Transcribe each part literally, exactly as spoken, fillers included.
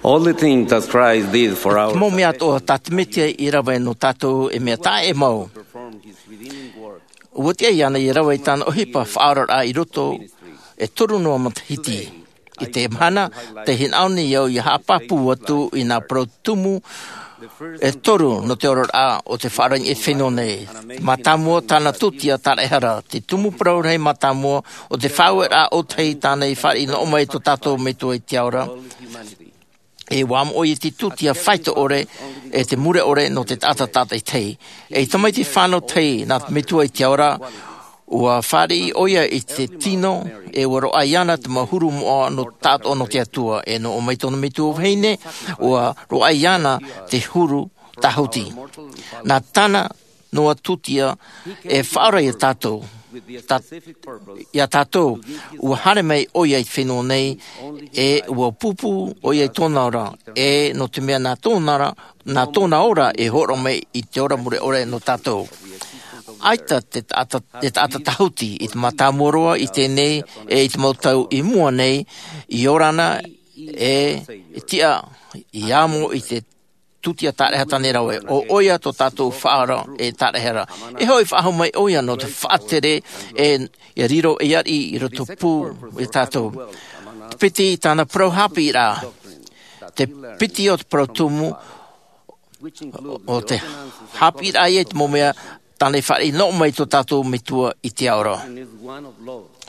All the things that Christ did for our Mo mea toa tā te metia i rawa e no tātou e mea tā e mau. perform his redeeming work Ua te ai ana i rawa i tāna ohipa whaarara i roto e toru noa matahiti. I te mana, te hinaone iau i hāpapu atu i nā parautumu e toru no te ora o te whaarangi e whenua nei. Mātāmua tāna tutia tāna ehara, te tumu parau rei mātāmua o te whāuera o tei tāna i whaari no omai tō tātou me tō i te aora. all humanity. E wā mo i te tutia whaita ore e te mure ore no te tata tata i tei. E tamai te whānau tei nā te metua i te ora, ua whāri oia i te tino e waro ai ana te mahuru moa no tāto no te atua. E no o mai tōna metua o heine, ua ro ai ana te huru tahuti. Nā tana noa tutia e whaara i a tātou. With the Ta, specific purpose i a tātou, ua hare mai oia i whenua nei, e ua pupu oia i tōna ora, e no te mea nā tōna ora, nā tōna ora e horo mai i te ora mure ore no tātou. Aita te ata, te ata tahuti i te mātāmoroa i tēnei, e i te mautau i mua nei, i orana e, e tia i amo i te tutia tāreha tane rawe. O oia tō tātou whaara e tārehera. E hoi whaaho mai oia no te whaatere e, e riro e ari i roto pū e tātou. Te piti tāna parau hapi rā. Te piti o te parautumu which include o te hapi rā e te momea tāne whaare no mai tō tātou metua i te aora. and is one of love.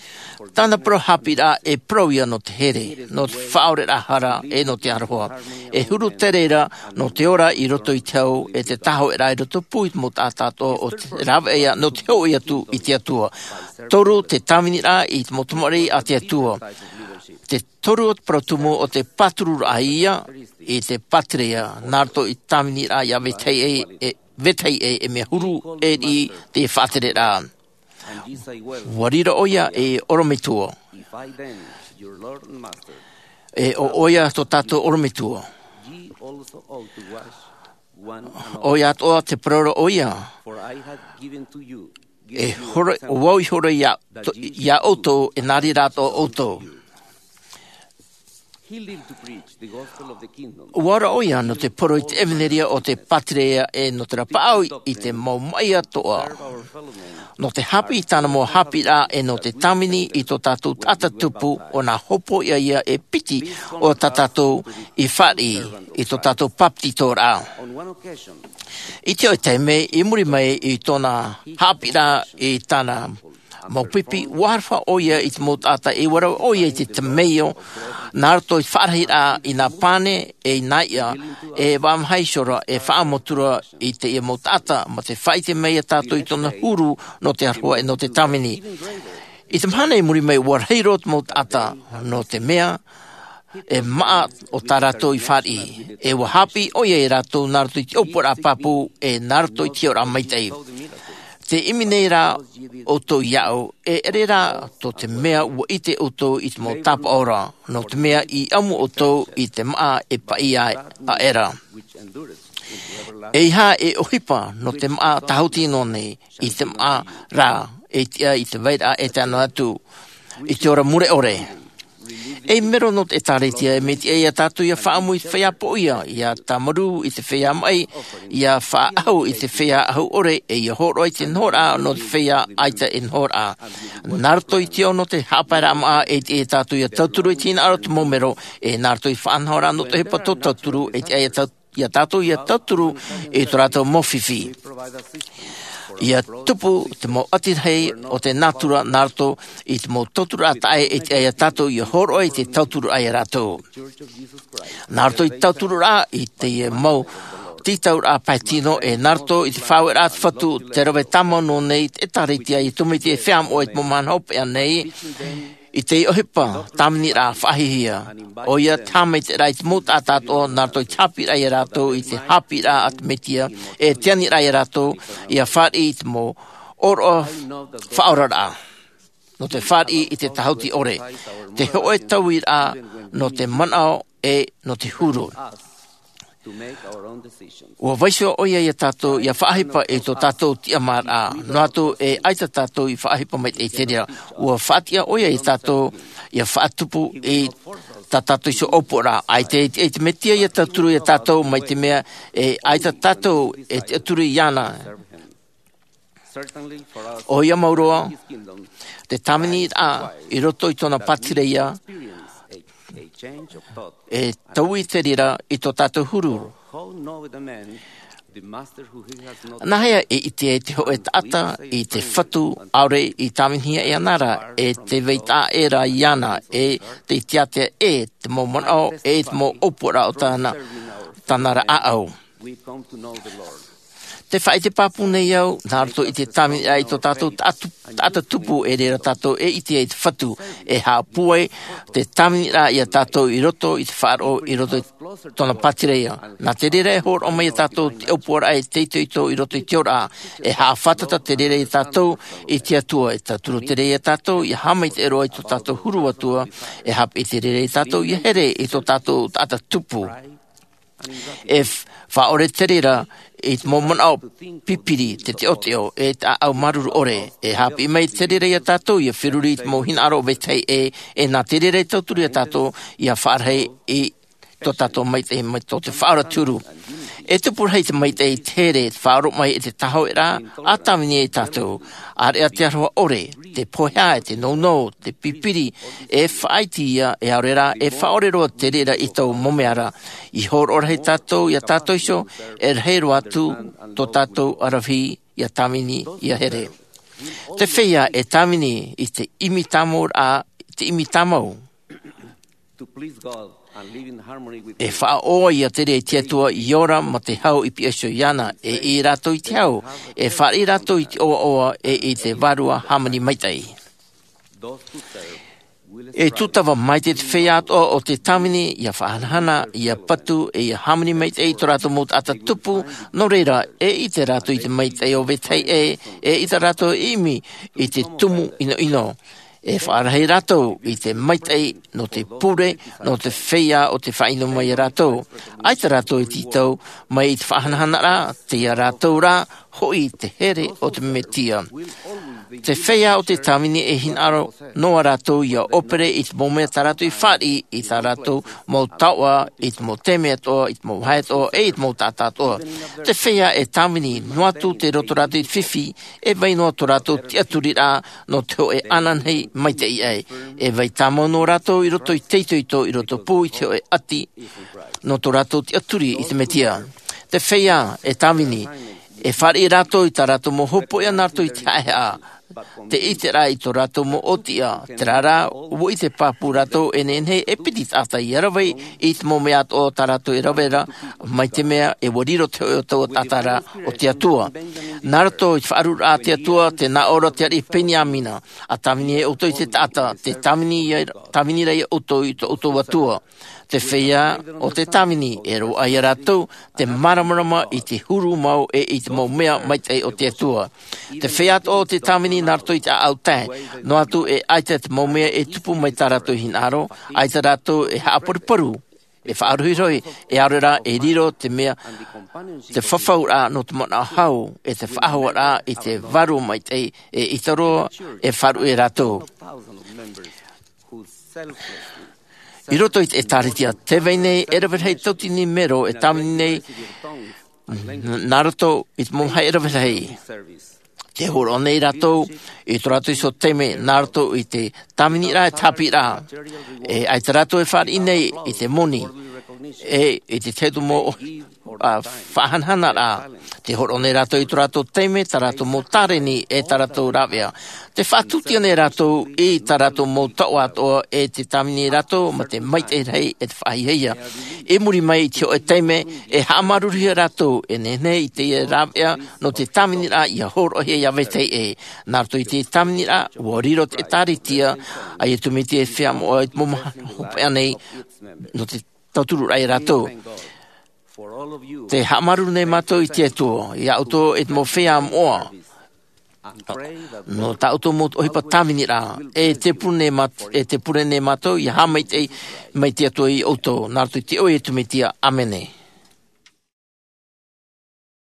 For Tāna parau hapi rā e parau ia no te here, no te whaore rā hara e no te aroha. E huru te reira no te ora i roto i te au e te taho e rā i roto pui mo tā tātou o te rawe ia no te hoi atu i te atua. Toru te tāmini rā i te motomari a te atua. type of leadership. Te toru o te parautumu o te paturu rā ia i te patria nārto i tāmini rā ia vetei e, e, vetei e, e mea huru e i te whātere rā. And ye say well, Warira oia e orometua. if I then, your Lord and Master, E o oia tō tātou orometua. ye also ought to wash one another. Oia toa te paraura oia. For I have given to you, E given you hora, o example wau i hora ia, to, ia outou e nari rā tō outou. He lived to preach the gospel of the kingdom. Uara oia no te poro i te eveneria o te patrea e no te rapaau i te mau mai atoa. Serve our fellow men No te hapi i tāna mō hapi rā e no te tamini i tō tātou tata tupu o nā hopo ia ia e piti o tā tātou i whari i tō tātou papti tō rā. On one occasion, I te oi teime, i muri mai i tōna hapi rā i tāna mau pipi, warwha o ia i te mōtata e warau o ia i te temeio, nā roto i wharahi rā i nā pane e i nā ia, e wāmhaisora e whaamotura i te ia mōtata, ma te whai te mei a tātou i tōna huru no te aroa e no te tamini. I te mahana i muri mai warheiro te mōtata no te mea, e maa o tā rātou i whari. E wahapi o ia i rātou nā roto i te opora papu e nā roto i te ora maitei. saw the miracles. Te imi nei rā o tō iau, e ere rā tō te mea ua i te o tō i te mō tapa ora, no te mea i amu o tō i te maa e pai ai a era. which endureth into everlasting. E iha e ohipa no te maa tahuti no nei, i te maa rā, e tia i te veira e te ana atu, i te ora mure ore. E mero no te tāretia e me te ia tātou ia whaamu i te whea po ia, ia tamaru i te whea mai, ia whaahau i te whea ahau ore, e ia horo i te nhora no te whea aita e nhora. Nārto i te ono te hāpaera maa e te e tātou ia tauturu i tina aro te momero, e nārto i whaanhora no te hepa tō tauturu e te ia tātou ia tātou ia tauturu e tō rātou mōwhiwhi. We provide assistance for Ia tupu te mō atirhei o te natura nārto i te mō tauturu a tae e te aia tātou i horo i te tauturu ai rātou. the Church of Jesus Christ. Nārto i tauturu rā i te e mau titau rā paetino e nārto i te whāwe rā te whatu te rawe tama no nei te taretia i tumiti e whiam o i te momana hope a nei i te ohipa tamini rā whahihia. O ia tāmei te rai te mōta a tātou nārto i tāpi rā i a rātou i te hapi rā a te metia e te ani rā i a rātou i a whāri i te mō oro whaora rā. No te whāri i te tahuti ore. Te hoe tauira no te manao e no te huru. Us Ua vaisua oia ia tātou ia whaahipa e tō tātou tia mara. No atu e aita tātou i whaahipa mai e te rea. Ua whaatia oia i tātou ia whaatupu e tā tātou iso opo rā. Ai te, e te metia ia tāturu ia tātou mai te mea e aita tātou e te aturu i ana. O ia mauroa, te tamini a i roto i tōna patire ia, e tau i te rira i tō tātou huru. Nahea e i te e te hoe tata i te whatu aure i tāminhia e anara e te veita e rā i ana e te tiatea e te mō manao e te mō opora o tāna tānara aau. Te whai te papu nei au, nā roto i te tāmini ai tō tātou ata tupu e rera tātou e i te e te whatu e hāpue te tāmini rā i a tātou i roto i te whaaro i roto i tōna patireia. Nā te rera e hōro mai a tātou te opuara e te ito ito i roto i te ora e hāwhatata te rera i tātou i te atua e tāturo te rera i tātou i hamai te eroa i tō tātou huru atua e hap i te rera i tātou i here i tō tātou ata tupu. E whaore te rera i te mōmona o pipiri te te oteo e ta au maruru ore e hapi mai te rera i a tātou i a whiruri i te mōhina aro vetei e e nā te rera i tauturi a tātou i a whaarhei i tō tātou mai te mai tō te whaara turu. E tupu hei te mai te i tere te whaaro mai e te taho e rā a tāmini e tātou are a te aroha ore te pohea e te nono te pipiri e whaiti ia e aure rā e whaore roa te rera i tau momeara i hor ora hei tātou i a tātou iso e rehero atu tō tātou arawhi i a tāmini i a here. Te wheia e tāmini i te imi tamor a te imi tamau. E whaoa ia te rei te atua i ora ma te hau i piaso iana e i rātou i te hau, e whare rātou i te oa oa e i te varua hamani maitai. E tutawa mai te whea atoa o te tamini ia whahanahana, ia patu e ia hamani maitai tō rātou mō ata tupu, no reira e i te rātou i te maitai o vetei e, e i te rātou imi i te tumu ino ino. E whaarahei rātou i te maitai no te pure, no te wheia o te whaino mai a rātou. Ai te rātou i titau mai i te whahanahana rā, te ia rātou rā, hoi te here o te metia. Te wheia o te tāmini e hinaro noa rātou ia opere i te mōmea tā rātou i whāri i tā rātou mō taua, i te mō temea toa, i te mō hae toa, e i te mō tātā toa. Te wheia e tāmini noa atu te roto rātou i whiwhi, e vai noa tō rātou te aturi rā no te hoe ananhei mai te i ai. E vai tāmau no rātou i roto i teito i tō, i roto pū i te hoe ati no tō rātou te aturi i te metia. Te wheia e tāmini, e whare i rātou i tā rātou mō hopo i anātou i te aea. Te i te rā i tō rātou mō otia, te rā rā, ua i te pāpū rātou e nenhei e piti tātai i arawei i te mō mea o tā rātou e rawera, mai te mea e wariro te o tau tātara o te atua. Nā rato i whaaru rā te atua, te nā ora te ari Peniamina, a tāmini e oto i te tāta, te tāmini, tāmini rei oto i tō oto atua. Te whea o te tāmini e ro ai a rātou, te maramarama i te huru mau e i te mau mea mai te o te atua. Te whea o te tāmini nā rato i te au tae, no atu e aita te mau mea e tupu mai tā rātou hinaro, aita rātou e haaparuparu, e whaaruhiroi, e arera e riro te mea, te whawhau rā no te mana hau, e te whaahua rā i te varu mai te e itaroa e wharu e rātou. I roto i te taritia, te vei nei, e rawere hei tautini mero, e tāmini nei, nā roto i te mōhai e rawere hei. Te horo nei rātou, i tō rātou i so teme, nā roto i te tāmini rā, e tāpi rā. E ai te rātou e whāri nei i te moni, e i te tētu mō whahanhana rā. Te horo nei rātou i tō rātou teme, tā rātou mō tāreni e tā rātou rāwea. Te whātutia nei rātou i tā rātou mō taua atoa e te tāmini rātou ma te maite rei e te whahiheia. E muri mai i te o e teime e haamaruria rātou e nene i te rāwea no te tāmini rā i a horohe i a vetei e. Nā rato i te tāmini rā, ua riro te tāritia ai e tumiti e whia mo ai momaha hopea nei no te tauturu rai rātou. Te haamaru nei mātou i te atua, i a auto e te mō whia moa. No tā auto mō ohipa tāmini rā, e te pune mat, e te pure nei mātou i ha mai te, mai te atua i auto, nā rato i te oi e tumitia, amene.